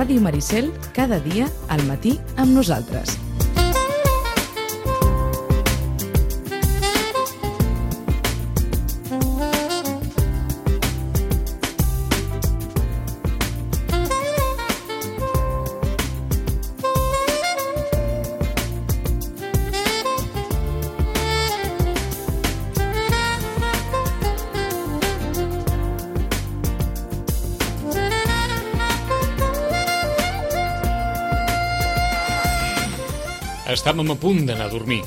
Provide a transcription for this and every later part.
Ràdio Maricel, cada dia al matí amb nosaltres. Estàvem a punt d'anar a dormir,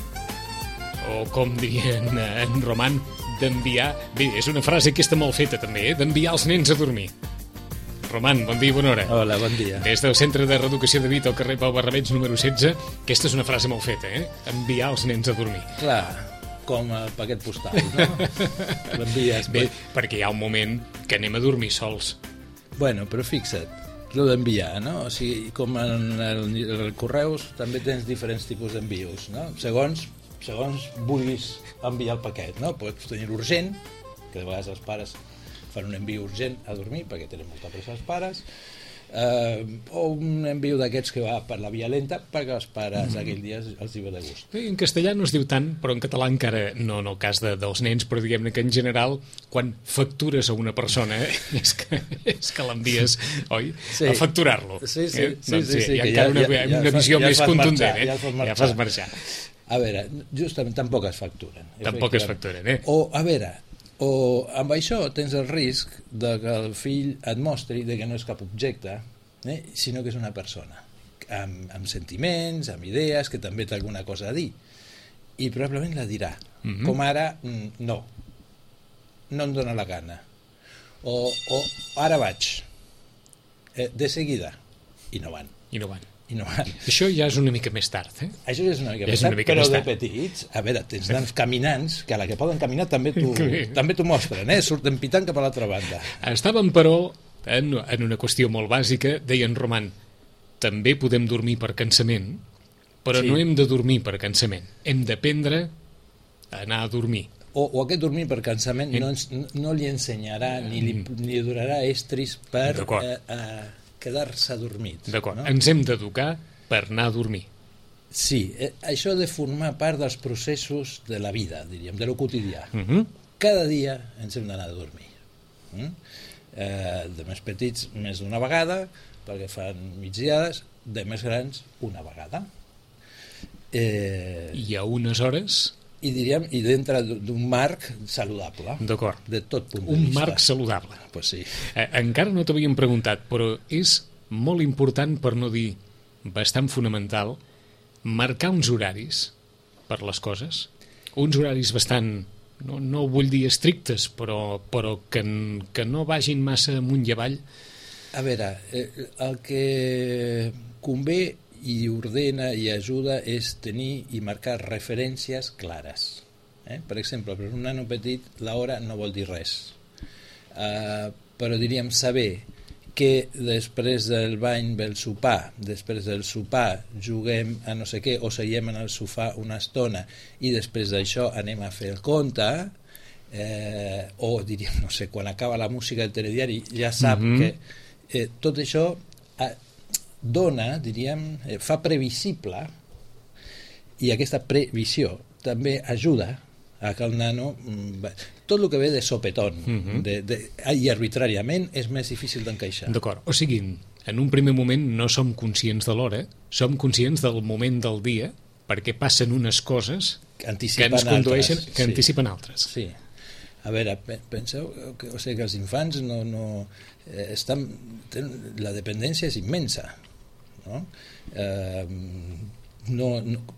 o com dirien en Roman, d'enviar... Bé, és una frase aquesta molt feta també, d'enviar els nens a dormir. Roman, bon dia i bona hora. Hola, bon dia. Des del Centre de Reeducació de Vita al carrer Pau Barrabets número 16, aquesta és una frase molt feta, enviar els nens a dormir. Clar, com el paquet postal, no? L'envies. Bé, perquè hi ha un moment que anem a dormir sols. Bueno, però fixa't, el d'enviar, no? O sigui, com en el correus també tens diferents tipus d'envios, no? Segons vulguis enviar el paquet, no? Pots tenir urgent, que de vegades els pares fan un enviu urgent a dormir perquè tenen molta pressa els pares, o un enviu d'aquests que va per la via lenta perquè els pares aquell dia els hi ve de gust. En castellà no es diu tant, però en català encara no en el cas dels nens, però diguem-ne que en general quan factures a una persona és que l'envies, oi? Sí. A facturar-lo. Sí. Doncs sí, hi ha encara una visió més contundent, ja fas marxar. A veure, justament tampoc es facturen. Tampoc es facturen, O amb això tens el risc de que el fill et mostri que no és cap objecte, sinó que és una persona, amb sentiments, amb idees, que també té alguna cosa a dir. I probablement la dirà. Com ara, no em dóna la gana. O ara vaig, de seguida, i no van. Això ja és una mica més tard, Això ja és una mica més tard, però de petits, a veure, tens nens caminants, que a la que poden caminar també t'ho mostren, surten pitant cap a l'altra banda. Estàvem, però, en una qüestió molt bàsica, deia en Roman, també podem dormir per cansament, però no hem de dormir per cansament, hem d'aprendre a anar a dormir. O aquest dormir per cansament no li ensenyarà ni li donarà estris per quedar-se adormit. D'acord, no? Ens hem d'educar per anar a dormir. Sí, això ha de formar part dels processos de la vida, diríem, de lo quotidià. Cada dia ens hem d'anar a dormir. De més petits, més d'una vegada, perquè fan migdiades, de més grans, una vegada. I a unes hores... I diríem, i dintre d'un marc saludable. D'acord. De tot punt de vista. Un marc saludable. Pues sí. Encara no t'havíem preguntat, però és molt important, per no dir bastant fonamental, marcar uns horaris per les coses. Uns horaris bastant, no vull dir estrictes, però que no vagin massa amunt i avall. A veure, el que convé i ordena i ajuda és tenir i marcar referències clares. Per exemple, per un nano petit l'hora no vol dir res, però diríem saber que després del bany ve el sopar, després del sopar juguem a no sé què o seguim en el sofà una estona i després d'això anem a fer el conte, o diríem, no sé, quan acaba la música del telediari ja sap que tot això dona, diríem, fa previsible, i aquesta previsió també ajuda a que el nano... Tot el que ve de sopetón i arbitràriament és més difícil d'encaixar. D'acord, o sigui, en un primer moment no som conscients de l'hora, som conscients del moment del dia, perquè passen unes coses que ens condueixen, que anticipen altres. Sí. A veure, penseu que els infants la dependència és immensa.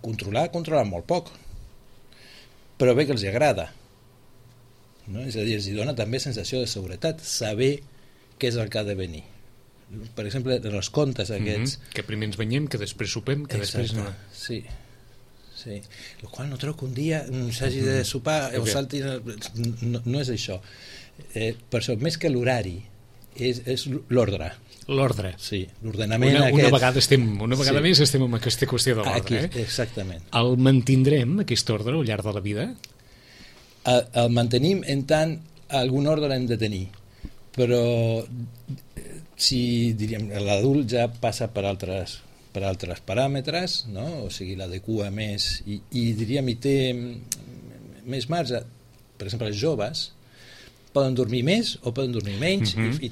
Controlar molt poc, però bé que els agrada, és a dir, els dona també sensació de seguretat, saber què és el que ha de venir. Per exemple, en els contes aquests que primer ens banyem, que després sopem, que després no. Sí, el qual no trobo que un dia s'hagi de sopar o salti, no és això. Per això, més que l'horari és l'ordre. L'ordre. Sí, l'ordenament una vegada més estem en aquesta qüestió de l'ordre. Exactament. El mantindrem, aquest ordre, al llarg de la vida? El mantenim en tant algun ordre hem de tenir, però si diríem l'adult ja passa per altres paràmetres, no? O sigui, l'adequa més i diríem hi té més marge. Per exemple, els joves poden dormir més o poden dormir menys i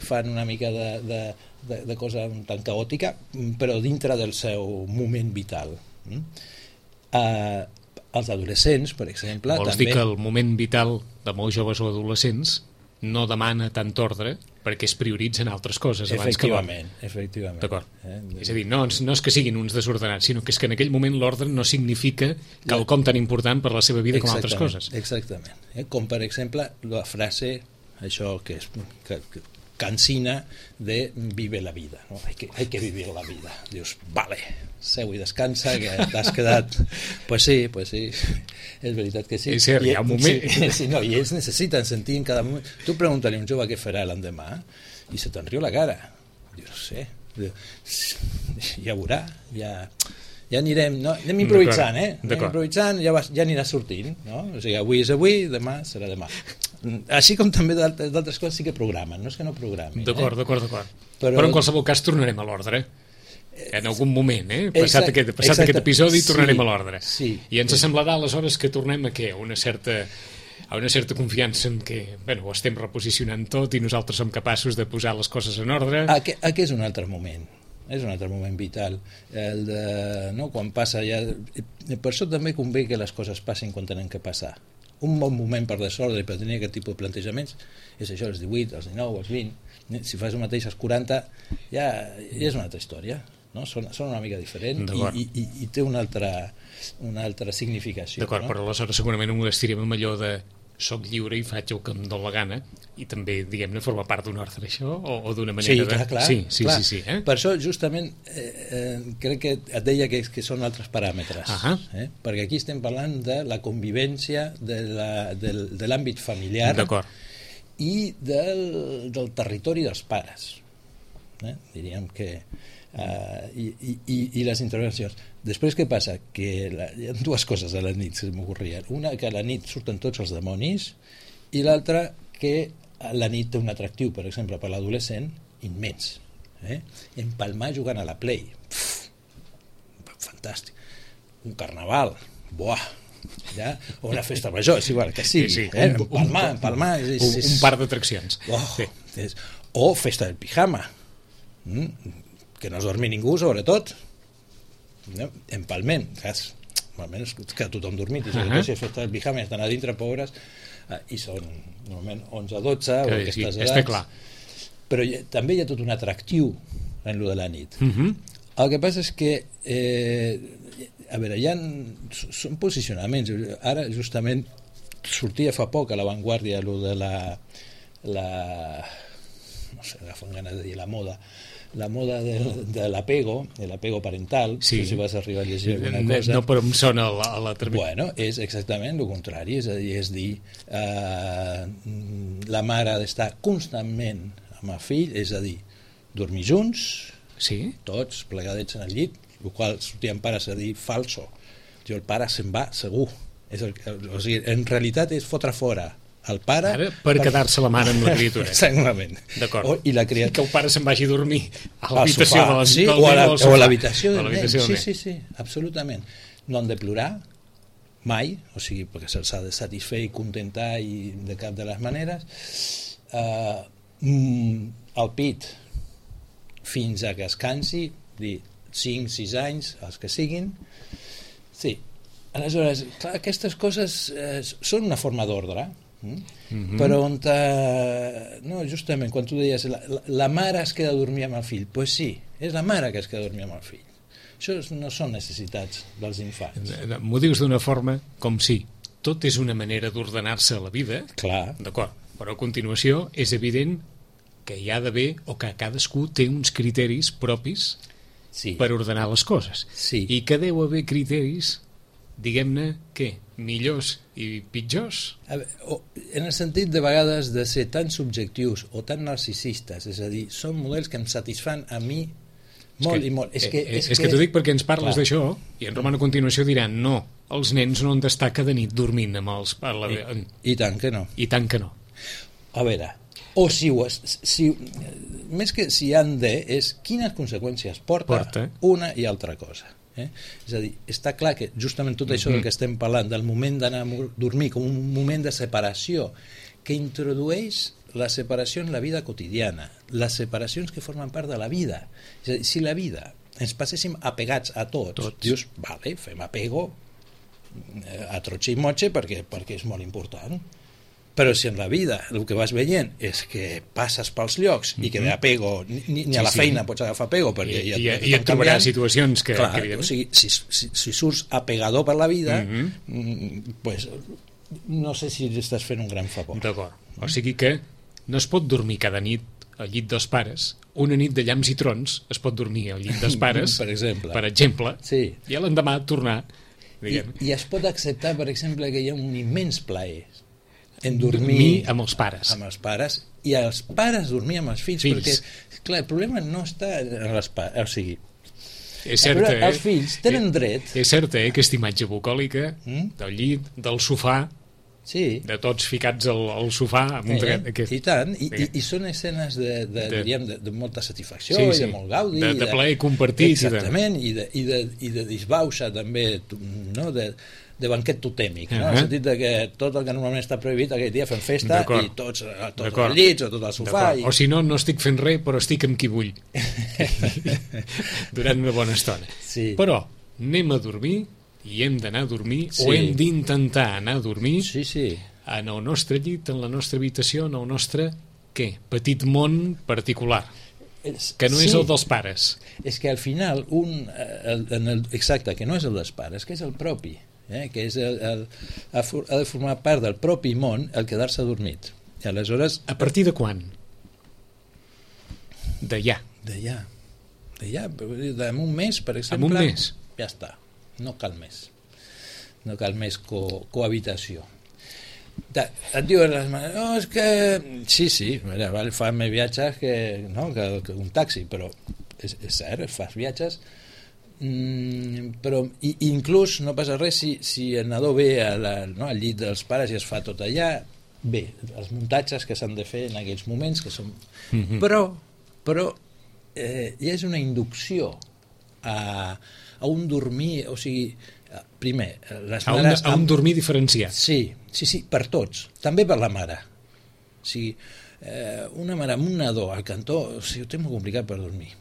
fan una mica de cosa un tant caòtica, però dintre del seu moment vital. Els adolescents, per exemple... Vols dir que el moment vital de molts joves o adolescents no demana tant ordre perquè es prioritzen altres coses abans que l'ordre. Efectivament. D'acord. És a dir, no és que siguin uns desordenats, sinó que és que en aquell moment l'ordre no significa quelcom tan important per la seva vida com altres coses. Exactament. Com, per exemple, la frase, això que cansina de vive la vida, ¿no? Hay que vivir la vida. Dius, vale, seu i descansa, que t'has quedat... Pues sí, és veritat que sí. És cert, hi ha un moment... Sí, no, i ells necessiten sentir en cada moment... Tu pregunta-li a un jove què farà l'endemà i se te'n riu la cara. Diu, no sé, ja veurà, ja anirem, no? Anem improvisant, anem improvisant, ja anirà sortint, no? O sigui, avui és avui, demà serà demà. Així com també d'altres coses sí que programen, no és que no programin. D'acord. Però en qualsevol cas tornarem a l'ordre. En algun moment, passat aquest episodi tornarem a l'ordre. Sí, i ens semblarà aleshores que tornem a què? A una certa confiança en què ho estem reposicionant tot i nosaltres som capaços de posar les coses en ordre. Aquest és un altre moment. És un altre moment vital. Quan passa ja... Per això també convé que les coses passin quan tenen que passar. Un bon moment per desordre i per tenir aquest tipus de plantejaments és això, els 18, els 19, els 20. Si fas el mateix als 40 ja és una altra història, no? Són una mica diferent i té una altra significació. D'acord, no? Però aleshores segurament ho estirem amb allò de soc lliure i faig el que em dóna la gana i també, diguem-ne, forma part d'un ordre això o d'una manera clar. Sí. Per això justament crec que et deia que són altres paràmetres, perquè aquí estem parlant de la convivència de l'àmbit familiar i del territori dels pares, diríem que i les intervencions. Després què passa? Que hi ha dues coses a la nit que m'ocorrien. Una, que a la nit surten tots els demonis, i l'altra, que a la nit té un atractiu, per exemple, per l'adolescent, immens. Empalmar jugant a la Play. Fantàstic. Un carnaval. Buah! Ja? O una festa major, és igual que sigui. Empalmar. Un par d'atraccions. O festa del pijama. Que no es dormi ningú, sobretot. Empalment, almenys que tothom dormit, i sobretot si és festa del pijama i estan a dintre, pobres, i són normalment 11 o 12 o aquestes edats, però també hi ha tot un atractiu en lo de la nit. El que passa és que a veure, són posicionaments. Ara justament sortia fa poc a l'avantguàrdia lo de la no sé, agafant ganes de dir la moda de l'apego parental, si vas arribar a llegir alguna cosa. No, però em sona a la termini. Bueno, és exactament el contrari, és dir, la mare ha d'estar constantment amb el fill, és a dir, dormir junts, tots plegadets en el llit, el qual sortien pares a dir falso. El pare se'n va segur. O sigui, en realitat és fotre fora el pare... Ara, per quedar-se la mare amb la criatura. Exactament. D'acord. I la criatura... Que el pare se'n vagi a dormir a l'habitació del nen o a l'habitació del nen. Sí, absolutament. No han de plorar mai, o sigui, perquè se'ls ha de satisfer i contentar i de cap de les maneres. El pit fins a que es cansi, dir 5, 6 anys, els que siguin. Sí. Aleshores, clar, aquestes coses són una forma d'ordre, però on no, justament quan tu deies la mare es queda a dormir amb el fill, doncs sí, és la mare que es queda a dormir amb el fill. Això no són necessitats dels infants. M'ho dius d'una forma com si tot és una manera d'ordenar-se a la vida. Clar. D'acord, però a continuació és evident que hi ha d'haver, o que cadascú té uns criteris propis per ordenar les coses. I que deu haver criteris, diguem-ne, què? Millors i pitjors? En el sentit de vegades de ser tan subjectius o tan narcisistes, és a dir, són models que em satisfan a mi molt i molt. És que t'ho dic perquè ens parles d'això i en Roman a continuació diran no, els nens no han d'estar cada nit dormint amb els... I tant que no. I tant que no. A veure, O més que si han de, és quines conseqüències porta una i altra cosa. És a dir, està clar que justament tot això del que estem parlant, del moment d'anar a dormir com un moment de separació, que introdueix la separació en la vida quotidiana, les separacions que formen part de la vida. És a dir, si la vida ens passéssim apegats a tots. Dius, vale, fem apego a trotxe i motxe perquè és molt important. Però si en la vida el que vas veient és que passes pels llocs i que d'apego ni a la feina pots agafar apego perquè i et trobaràs situacions que... Clar, o sigui, si surts apegador per la vida, pues, no sé si estàs fent un gran favor. D'acord. O sigui que no es pot dormir cada nit al llit dels pares. Una nit de llamps i trons es pot dormir al llit dels pares, per exemple, sí. I a l'endemà tornar. I es pot acceptar, per exemple, que hi ha un immens plaer en dormir amb els pares. Amb els pares, i els pares dormir amb els fills. Perquè, clar, el problema no està en les pares, o sigui, és cert, els fills tenen dret. És cert, aquesta imatge bucòlica del llit, del sofà, de tots ficats al sofà amb un dret. I tant, i són escenes de molta satisfacció i de molt gaudi, de plaer compartit. Exactament, i de disbauxa també, no?, de banquet totèmic, no? En el sentit que tot el que normalment està prohibit aquell dia fem festa i tots als llits o tot al sofà. O si no estic fent res, però estic amb qui vull durant una bona estona. Però anem a dormir i hem d'anar a dormir o hem d'intentar anar a dormir en el nostre llit, en la nostra habitació, en el nostre petit món particular, que no és el dels pares. És que al final exacte, que no és el dels pares, que és el propi, que és ha de formar part del propi món el quedar-se adormit. I aleshores... A partir de quan? D'allà. En un mes, per exemple. En un mes? Ja està. No cal més. No cal més cohabitació. Et diuen les mares, no, és que... Sí, fa més viatges que un taxi, però és cert, fas viatges, però inclús no passa res si el nadó ve al llit dels pares i es fa tot allà, bé, els muntatges que s'han de fer en aquells moments que són... Però ja és una inducció a un dormir, o sigui, primer, les mares... A un dormir diferenciat. Sí, per tots, també per la mare. O sigui, una mare amb un nadó al cantó, o sigui, ho té molt complicat per dormir.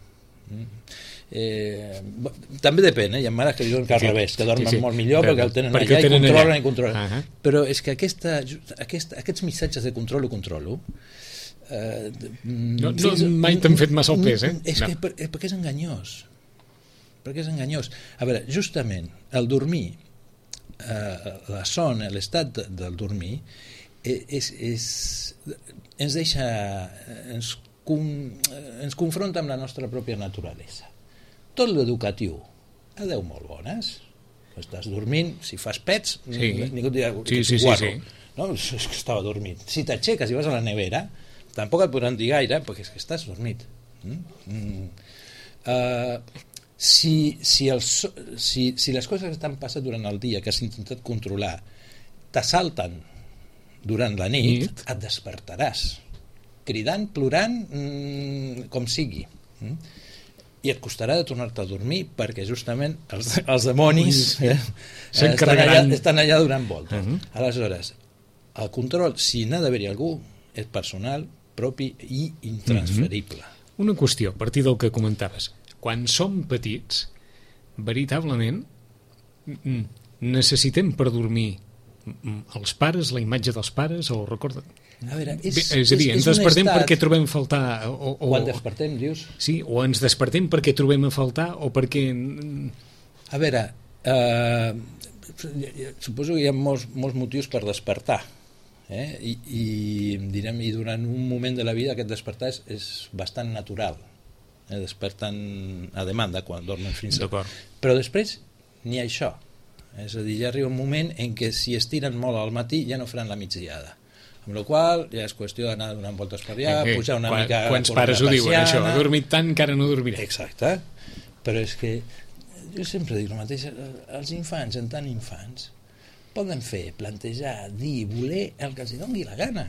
També depèn, hi ha mares que diuen que al revés, que dormen molt millor perquè el tenen allà i controlen. Però és que aquests missatges de controlo mai t'han fet massa el pes, perquè és enganyós. A veure, justament el dormir, la son, l'estat del dormir ens deixa, ens confronta amb la nostra pròpia naturalesa. Tot l'educatiu, adeu molt bones, estàs dormint, si fas pets ningú et dirà que ets guarro, no? És que estava dormint. Si t'aixeques i vas a la nevera tampoc et podran dir gaire perquè és que estàs dormit. Si les coses que t'han passat durant el dia que has intentat controlar t'assalten durant la nit, et despertaràs cridant, plorant, com sigui, i et costarà de tornar-te a dormir perquè justament els demonis estan allà donant voltes. Aleshores, el control, si n'ha d'haver-hi algú, és personal, propi i intransferible. Una qüestió, a partir del que comentaves. Quan som petits, veritablement necessitem per dormir els pares, la imatge dels pares, o recorda... A veure, és a dir, ens despertem perquè trobem a faltar... Quan despertem, dius? Sí, o ens despertem perquè trobem a faltar, o perquè... A veure, suposo que hi ha molts motius per despertar, i durant un moment de la vida aquest despertar és bastant natural. Desperten a demanda quan dormen fins a... Però després ni això. És a dir, ja arriba un moment en què si estiren molt al matí ja no faran la migdiada. Amb la qual ja és qüestió d'anar donant voltes per allà, pujar una mica... Quants pares ho diuen, això? Ha dormit tant que ara no dormiré. Exacte. Però és que jo sempre dic el mateix, els infants, en tant infants, poden fer, plantejar, dir, voler el que els doni la gana,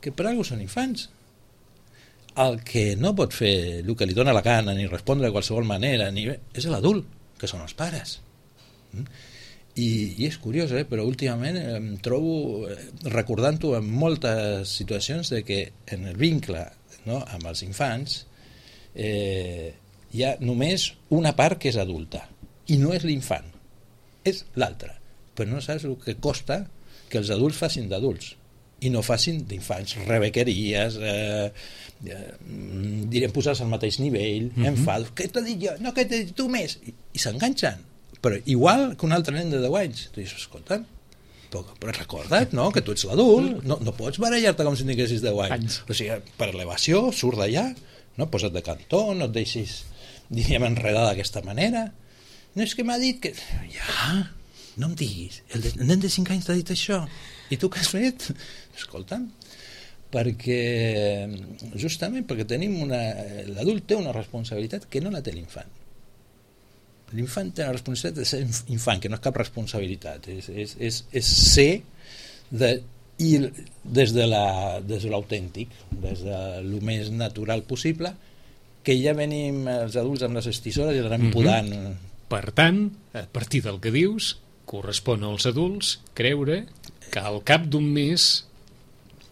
que per alguna cosa són infants. el que no pot fer el que li dona la gana ni respondre de qualsevol manera és l'adult, que són els pares. I és curiós, però últimament em trobo recordant-ho en moltes situacions de que en el vincle, no, amb els infants hi ha només una part que és adulta i no és l'infant, és l'altra, però no saps el que costa que els adults facin d'adults i no facin d'infants, rebequeries, direm posar-se al mateix nivell, enfados, què t'he dit jo? No, què t'he dit tu més? I s'enganxen, però igual que un altre nen de 10 anys. Tu dius, escolta, però recorda't, no?, que tu ets l'adult, no pots barallar-te com si tinguessis 10 anys. O sigui, per elevació, surt d'allà, no? Posa't de cantó, no et deixis, diríem, enredar d'aquesta manera. No, és que m'ha dit que... Ja, no em diguis, el nen de 5 anys t'ha dit això, i tu què has fet? Escolta'm, justament perquè l'adult té una responsabilitat que no la té l'infant. L'infant té una responsabilitat de ser infant, que no és cap responsabilitat, és ser des de l'autèntic, des de lo més natural possible, que ja venim els adults amb les estisores i l'anem podant. Per tant, a partir del que dius, correspon als adults creure que al cap d'un mes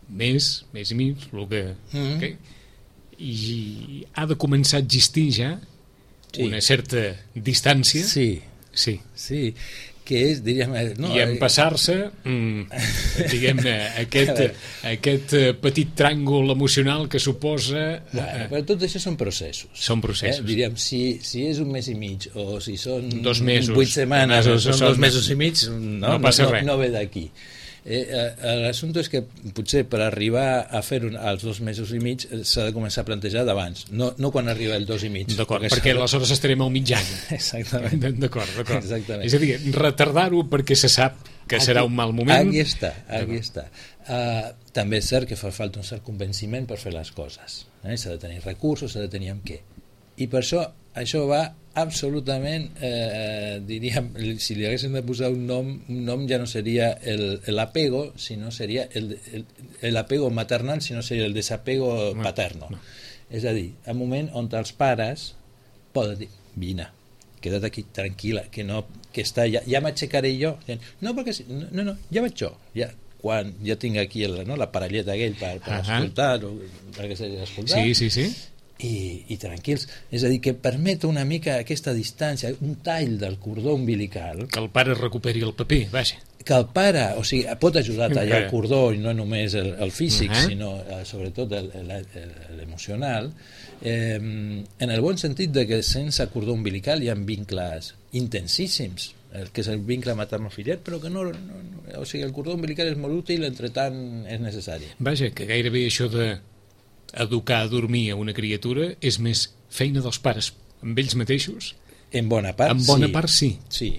i mig, i ha de començar a existir ja una certa distància. Sí, que és, diríem... No, i empassar-se, diguem-ne, aquest petit tràngol emocional que suposa... Però tot això són processos. Són processos. Diríem, si és un mes i mig, o si són 2 mesos, 8 setmanes, o són 2 mesos i mig, no passa res. No ve d'aquí. L'assumpte és que potser per arribar a fer als 2 mesos i mig s'ha de començar a plantejar d'abans, no quan arriba el 2 i mig. D'acord, perquè aleshores estarem al mig any. Exactament. D'acord. Exactament. És a dir, retardar-ho perquè se sap que serà un mal moment. Aquí està. També és cert que fa falta un cert convenciment per fer les coses. S'ha de tenir recursos, s'ha de tenir amb què. I per això va absolutament, diríem, si li haguéssim de posar un nom ja no seria l'apego, sinó seria l'apego maternal, sinó seria el desapego paterno. És a dir, un moment on els pares poden dir, vine, queda't aquí tranquil·la, que està ja m'aixecaré jo. No, perquè no, ja vaig jo, quan ja tinc aquí la parelleta aquell per escoltar, perquè s'hagi d'escoltar. Sí. I tranquils, és a dir, que permet una mica aquesta distància, un tall del cordó umbilical, que el pare recuperi el paper, vaja, que el pare, o sigui, pot ajudar a tallar el cordó i no només el físic, sinó sobretot l'emocional, en el bon sentit de que sense cordó umbilical hi ha vincles intensíssims, que és el vincle materno-filial, però que no, o sigui, el cordó umbilical és molt útil, entre tant és necessari. Vaja, que gairebé això de educar a dormir a una criatura és més feina dels pares amb ells mateixos? En bona part, sí. Sí.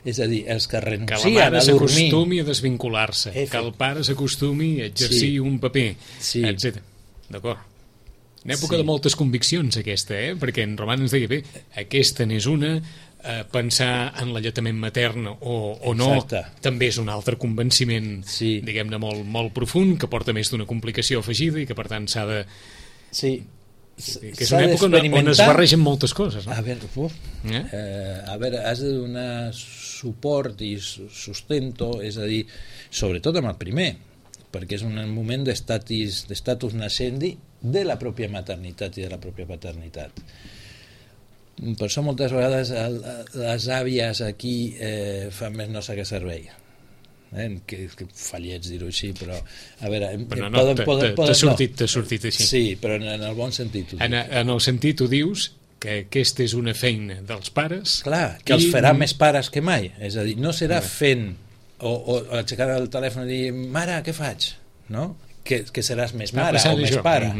És a dir, els que renuncien a dormir... Que la mare s'acostumi a desvincular-se, que el pare s'acostumi a exercir un paper, etc. D'acord. Una època de moltes conviccions, aquesta, perquè en Roman ens deia, aquesta n'és una, pensar en l'alletament matern o no, també és un altre convenciment, diguem-ne, molt profund, que porta més d'una complicació afegida i que per tant s'ha de... Sí. Que és una època on es barregen moltes coses, no? A veure, has de donar suport i sustento, és a dir, sobretot amb el primer, perquè és un moment d'estatus nascendi de la pròpia maternitat i de la pròpia paternitat. Per això moltes vegades les àvies aquí fan més no sé què servei, que fallets dir-ho així, però a veure, t'ha sortit així. Sí, però en el bon sentit en el sentit ho dius que aquesta és una feina dels pares, clar, que els farà més pares que mai, és a dir, no serà fent o aixecar el telèfon i dir, mare, què faig? No? Que seràs més mare o més pare,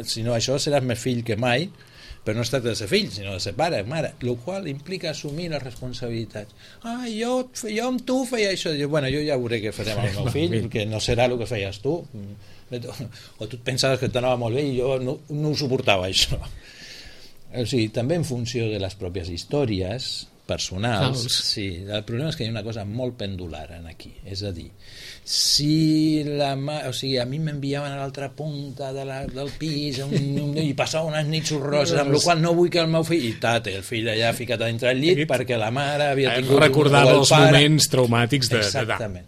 si no això seràs més fill que mai, però no es tracta de ser fill, sinó de ser pare, mare, el qual implica assumir les responsabilitats. Jo amb tu feia això. Bueno, jo ja veuré què farem amb el meu fill, que no serà el que feies tu. O tu et pensaves que t'anava molt bé i jo no ho suportava, això. O sigui, també en funció de les pròpies històries, personals. Sí, el problema és que hi ha una cosa molt pendular en aquí, és a dir, si o sigui, a mi m'enviaven a l'altra punta del pis i passava unes nits horroroses, amb la qual no vull que el meu fill, i el fill allà ficat a dintre del llit perquè la mare havia tingut recordava els moments traumàtics de exactament.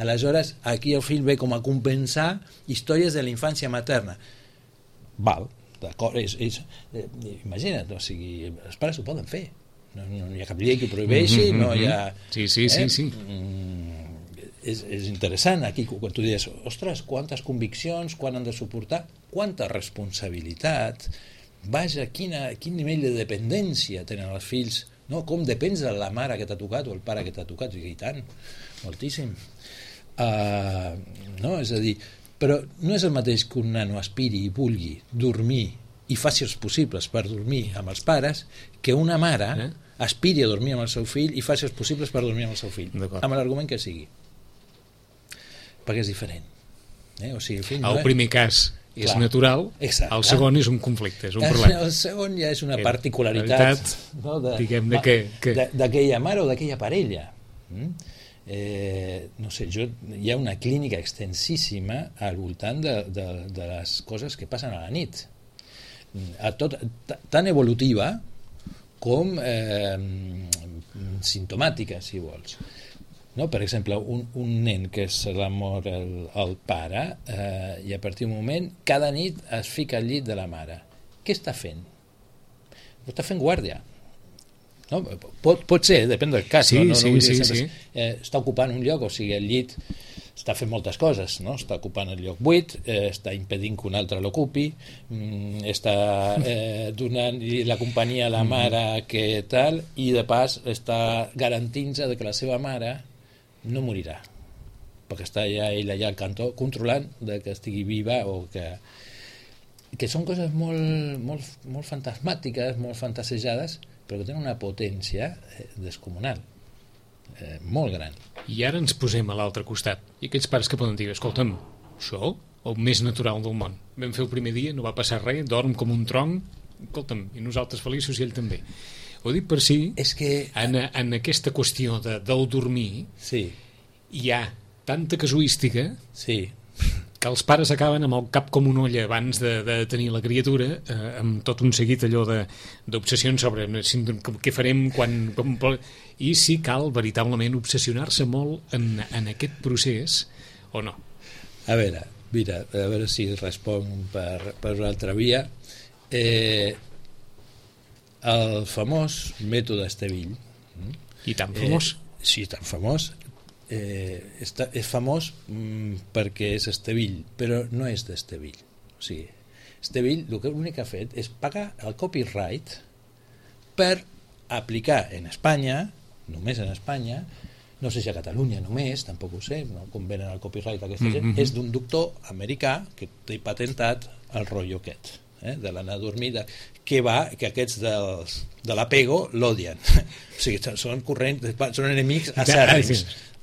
Aleshores, aquí el fill ve com a compensar històries de la infància materna. Val, d'acord, imagina't, o sigui, els pares ho poden fer. No hi ha cap llei que ho prohibeixi, no hi ha... Sí. És interessant aquí quan tu dius, ostres, quantes conviccions, quan han de suportar, quanta responsabilitat, vaja, quin nivell de dependència tenen els fills, no? Com depens de la mare que t'ha tocat o el pare que t'ha tocat, i tant, moltíssim. No, és a dir, però no és el mateix que un nano aspiri i vulgui dormir i faci els possibles per dormir amb els pares que una mare aspiri a dormir amb el seu fill i faci els possibles per dormir amb el seu fill, amb l'argument que sigui, perquè és diferent. O sigui, el fill el primer cas és natural, el segon és un conflicte, és un problema. El segon ja és una particularitat diguem-ne d'aquella mare o d'aquella parella. No sé, hi ha una clínica extensíssima al voltant de les coses que passen a la nit, tan evolutiva com simptomàtica, si vols. No? Per exemple, un nen que se la mor el pare i a partir d'un moment cada nit es fica al llit de la mare. Què està fent? Està fent guàrdia. No? Pot ser, depèn del cas. Sí. Està ocupant un lloc, o sigui, el llit està fent moltes coses, no? Està ocupant el lloc buit, està impedint que un altre l'ocupi, està donant la companyia a la mare que tal, i de pas està garantint-se que la seva mare no morirà, perquè està ell allà al cantó controlant que estigui viva, o que són coses molt fantasmàtiques, molt fantasejades, però que tenen una potència descomunal, molt gran. I ara ens posem a l'altre costat, i aquells pares que poden dir, escolta'm, això, el més natural del món, vam fer el primer dia, no va passar res, dorm com un tronc, escolta'm, i nosaltres feliços i ell també. Ho dic per si en aquesta qüestió del dormir hi ha tanta casuística que els pares acaben amb el cap com una olla abans de tenir la criatura, amb tot un seguit allò d'obsessions sobre què farem i si cal veritablement obsessionar-se molt en aquest procés o no. A veure si responc per una altra via. El famós mètode Estevil, i tan famós, tan famós, és famós perquè és Estevil, però no és d'Estevil. O sigui, Estevil l'únic que ha fet és pagar el copyright per aplicar en Espanya, només en Espanya, no sé si a Catalunya només, tampoc ho sé, no? Com venen el copyright aquesta gent, és d'un doctor americà que té patentat el rotllo aquest, de l'anar a dormir, que aquests de l'apego l'odien. O sigui, són enemics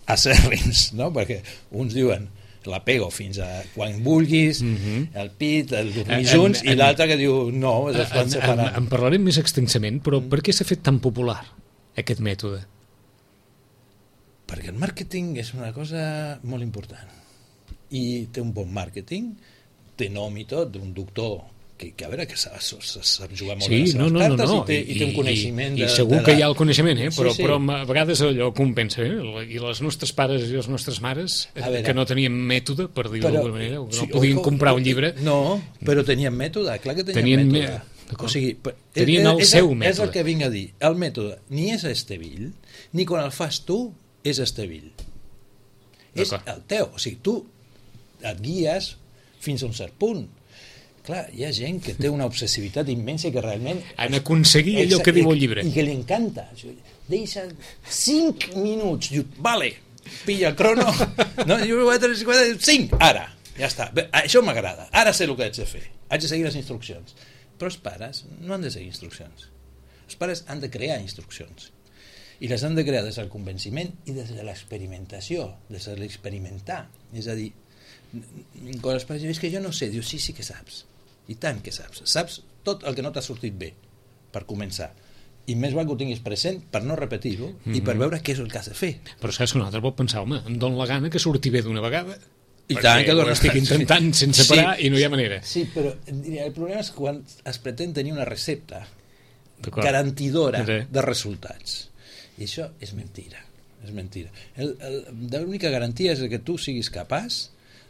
acèrrims, no? Perquè uns diuen l'apego fins a quan vulguis, el pit, el dormir junts, i l'altre que diu no, es van separar. En parlarem més extensament, però per què s'ha fet tan popular aquest mètode? Perquè el màrqueting és una cosa molt important i té un bon màrqueting, té nom i tot, d'un doctor que a veure, que sap jugar molt bé les seves cartes i té un coneixement i segur que hi ha el coneixement, però a vegades allò compensa, i les nostres pares i les nostres mares que no tenien mètode, per dir-ho d'alguna manera, no podien comprar un llibre. No, però tenien mètode, clar que tenien mètode. O sigui, tenien el seu mètode. És el que vinc a dir, el mètode ni és Estevil, ni quan el fas tu és Estevil, és el teu. O sigui, tu et guies fins a un cert punt. Clar, hi ha gent que té una obsessivitat immensa i que realment... Han aconseguit allò que diu el llibre. I que li encanta. Deixa 5 minuts. Diu, vale, pilla el crono. No, 5, ara. Ja està. Això m'agrada. Ara sé el que haig de fer. Haig de seguir les instruccions. Però els pares no han de seguir instruccions. Els pares han de crear instruccions. I les han de crear des del convenciment i des de l'experimentació, des de l'experimentar. És a dir, quan els pares diuen, és que jo no sé, dius, sí que saps. I tant que saps tot el que no t'ha sortit bé, per començar, i més val que ho tinguis present per no repetir-ho i per veure què és el que has de fer. Però saps que un altre pot pensar, home, em dona la gana que surti bé d'una vegada. I tant que ho estic intentant sense parar i no hi ha manera. Sí, però el problema és quan es pretén tenir una recepta garantidora de resultats. I això és mentira. És mentira. L'única garantia és que tu siguis capaç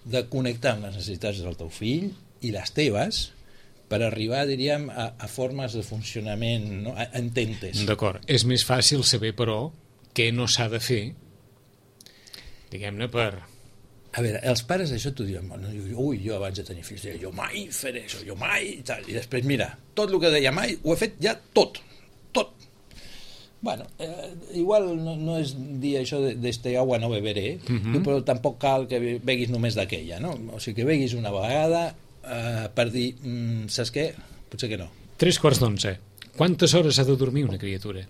de connectar amb les necessitats del teu fill i les teves per arribar, diríem, a formes de funcionament, no? A ententes. D'acord. És més fàcil saber, però, què no s'ha de fer, diguem-ne, per... A veure, els pares això t'ho diuen, ui, jo abans de tenir fills deia, jo mai faré això, jo mai, i tal. I després, mira, tot el que deia mai ho he fet ja tot. Bueno, igual no és dir això d'este agua no beberé, però tampoc cal que beguis només d'aquella, no? O sigui, que beguis una vegada per dir, saps què? Potser que no. 11:45. Quantes hores ha de dormir una criatura?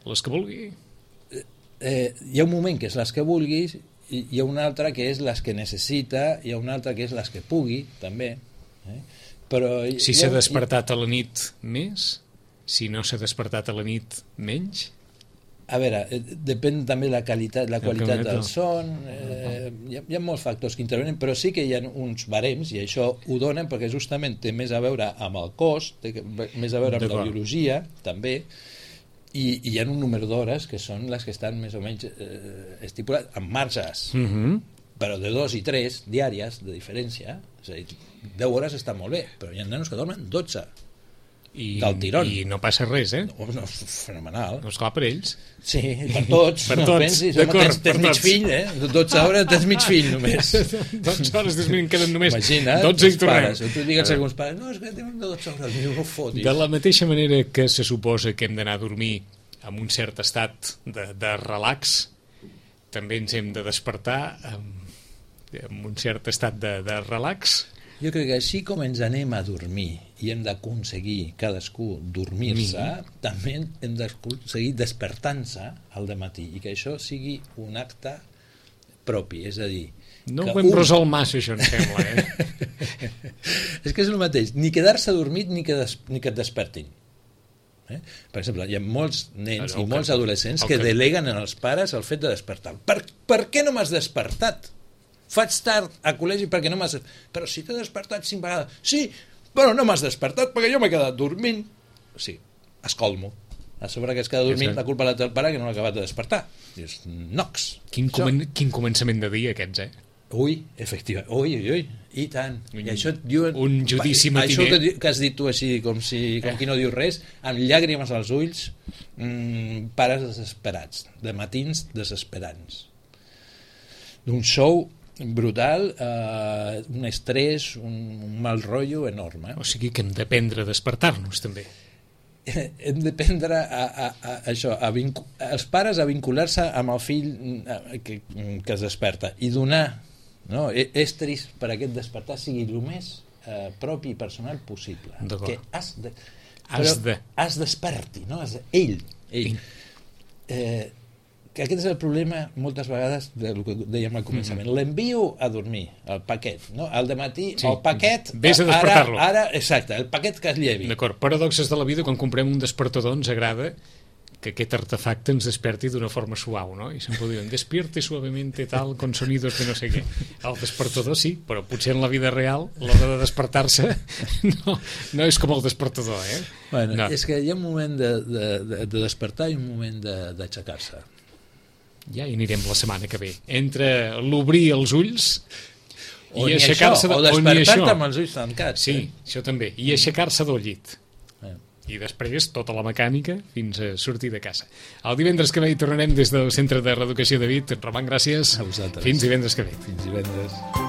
Les que vulgui? Hi ha un moment que és les que vulguis, i hi ha una altra que és les que necessita, hi ha una altra que és les que pugui, també. Però si s'ha despertat a la nit més, si no s'ha despertat a la nit menys? A veure, depèn també la qualitat del son, hi ha molts factors que intervenen, però sí que hi ha uns barems, i això ho donen perquè justament té més a veure amb el cos, té més a veure amb la biologia, també, i hi ha un número d'hores que són les que estan més o menys estipulades, amb marges, però de 2 i 3 diàries de diferència, és a dir, 10 hores està molt bé, però hi ha nanos que dormen 12. Del tirón. I no passa res, No, fenomenal. No, esclar, per ells. Sí, per tots. Per tots. Pensis, tens mig fill, 12 hores tens mig fill només. 12 hores en queden només. Imagina't, 12 i tornem. Tu digues a alguns pares, no, és que tenen 12 hores, no fotis. De la mateixa manera que se suposa que hem d'anar a dormir amb un cert estat de relax, també ens hem de despertar amb un cert estat de relax. Jo crec que així com ens anem a dormir i hem d'aconseguir cadascú dormir-se, també hem d'aconseguir despertant-se al dematí i que això sigui un acte propi, és a dir... No ho hem resolt massa, això, em sembla, És que és el mateix, ni quedar-se dormit ni que et despertin. Per exemple, hi ha molts nens i molts adolescents que deleguen en els pares el fet de despertar. Per què no m'has despertat? Faig tard a col·legi perquè no m'has... Però si t'he despertat 5 vegades. Sí, però no m'has despertat perquè jo m'he quedat dormint. O sigui, escolmo. A sobre que es queda dormint, la culpa la té el pare que no l'ha acabat de despertar. Dius, nox. Quin començament de dia, aquests, Ui, efectivament. Ui. I tant. I això diuen... Un judici matiner. Això que has dit tu així, com qui no diu res, amb llàgrimes als ulls, pares desesperats, de matins desesperants. D'un show brutal, un estrès, un mal rotllo enorme. O sigui que hem d'aprendre a despertar-nos, també. Hem d'aprendre els pares a vincular-se amb el fill que es desperta i donar estris per a aquest despertar sigui el més propi i personal possible. Que has desperti, no? Ell. Que aquest és el problema moltes vegades del que dèiem al començament. L'envio a dormir, el paquet, no? Al dematí, el paquet... Vés a despertar-lo. Ara, exacte, el paquet que es llevi. D'acord, paradoxes de la vida, quan comprem un despertador ens agrada que aquest artefacte ens desperti d'una forma suau, no? I sempre diuen, despierte suavemente tal, con sonidos de no sé què. El despertador sí, però potser en la vida real l'hora de despertar-se no és com el despertador, Bueno, no. És que hi ha un moment de despertar i un moment d'aixecar-se. Ja hi anirem la setmana que ve. Entre l'obrir els ulls i aixecar-se... O despertar-te amb els ulls tancats. Sí, això també. I aixecar-se del llit. I després tota la mecànica fins a sortir de casa. El divendres que ve hi tornarem des del Centre de Reeducació de Vic. Roman, gràcies. A vosaltres. Fins divendres que ve. Fins divendres.